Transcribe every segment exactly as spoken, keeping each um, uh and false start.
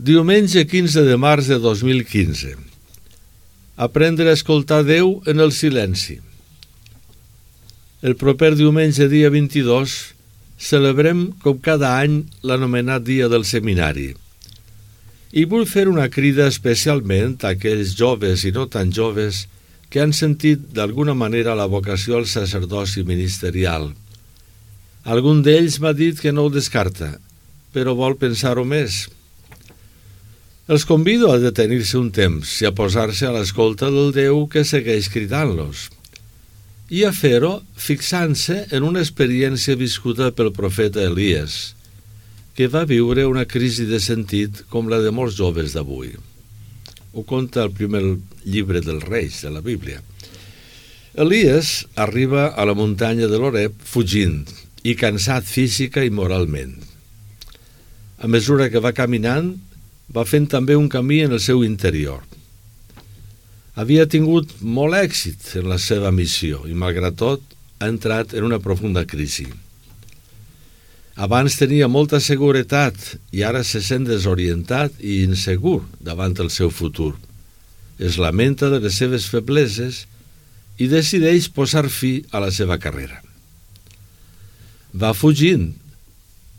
Diumenge quinze de març de dos mil quinze. Aprendre a escoltar Déu en el silenci. El proper diumenge, dia vint-i-dos, celebrem, com cada any, l'anomenat Dia del Seminari. I vull fer una crida especialment a aquells joves i no tan joves que han sentit d'alguna manera la vocació al sacerdoci ministerial. Algun d'ells m'ha dit que no ho descarta, però vol pensar-ho més. Els convido a detenir-se un temps i a posar-se a l'escolta del Déu que segueix cridant-los, i a fer-ho fixant-se en una experiència viscuda pel profeta Elies, que va viure una crisi de sentit com la de molts joves d'avui. Ho conta el primer llibre dels Reis de la Bíblia. Elies arriba a la muntanya de l'Oreb fugint i cansat física i moralment. A mesura que va caminant, va fent també un camí en el seu interior. Havia tingut molt èxit en la seva missió i, malgrat tot, ha entrat en una profunda crisi. Abans tenia molta seguretat i ara se sent desorientat i insegur davant el seu futur. Es lamenta de les seves febleses i decideix posar fi a la seva carrera. Va fugint,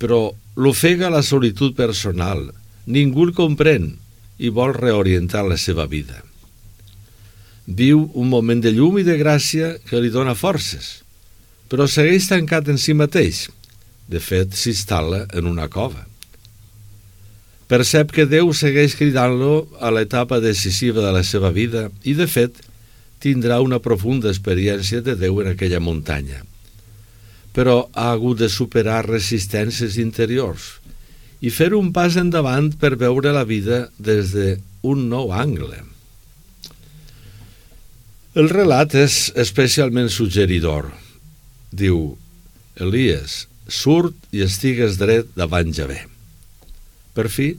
però l'ofega la solitud personal. Ningú el comprèn i vol reorientar la seva vida. Viu un moment de llum i de gràcia que li dona forces, però segueix tancat en si mateix. De fet, s'instal·la en una cova. Percep que Déu segueix cridant-lo a l'etapa decisiva de la seva vida i, de fet, tindrà una profunda experiència de Déu en aquella muntanya. Però ha hagut de superar resistències interiors i fer un pas endavant per veure la vida des d'un nou angle. El relat és especialment suggeridor. Diu: Elies, surt i estigues dret davant Javé. Per fi,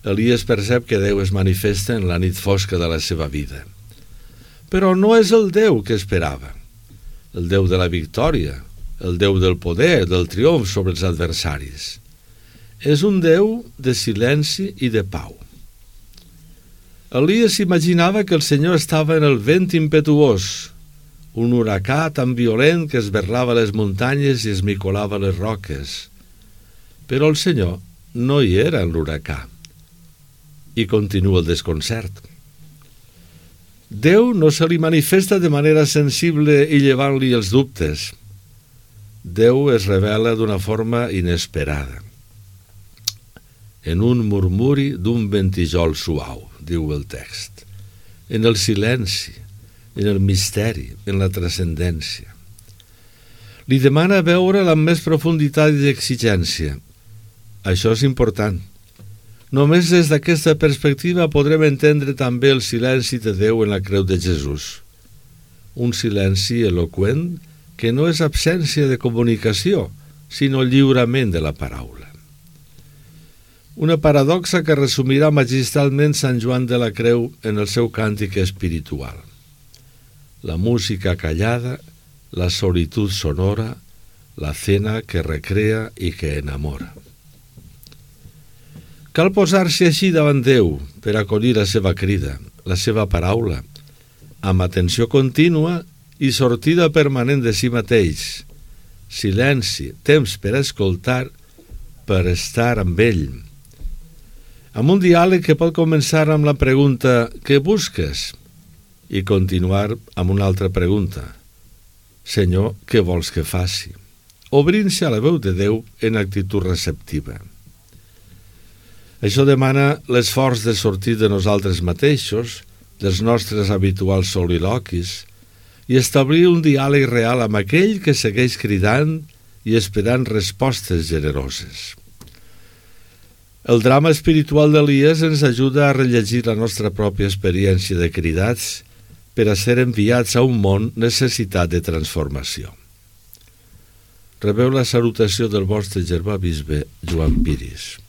Elies percep que Déu es manifesta en la nit fosca de la seva vida. Però no és el Déu que esperava, el Déu de la victòria, el Déu del poder, del triomf sobre els adversaris. És un Déu de silenci i de pau. Elies imaginava que el Senyor estava en el vent impetuós, un huracà tan violent que esberlava les muntanyes i esmicolava les roques. Però el Senyor no hi era en l'huracà. I continua el desconcert. Déu no se li manifesta de manera sensible i llevant-li els dubtes. Déu es revela d'una forma inesperada. En un murmuri d'un ventijol suau, diu el text, en el silenci, en el misteri, en la transcendència. Li demana veure-la amb més profunditat i exigència. Això és important. Només des d'aquesta perspectiva podrem entendre també el silenci de Déu en la creu de Jesús. Un silenci eloqüent que no és absència de comunicació, sinó lliurament de la paraula. Una paradoxa que resumirà magistralment Sant Joan de la Creu en el seu càntic espiritual. La música callada, la solitud sonora, la cena que recrea i que enamora. Cal posar-se així davant Déu per acollir la seva crida, la seva paraula, amb atenció contínua i sortida permanent de si mateix, silenci, temps per escoltar, per estar amb ell. Amb un diàleg que pot començar amb la pregunta «Què busques?» i continuar amb una altra pregunta «Senyor, què vols que faci?» obrint-se a la veu de Déu en actitud receptiva. Això demana l'esforç de sortir de nosaltres mateixos, dels nostres habituals soliloquis, i establir un diàleg real amb aquell que segueix cridant i esperant respostes generoses. El drama espiritual d'Elies ens ajuda a rellegir la nostra pròpia experiència de cridats per a ser enviats a un món necessitat de transformació. Rebeu la salutació del vostre germà bisbe Joan Piris.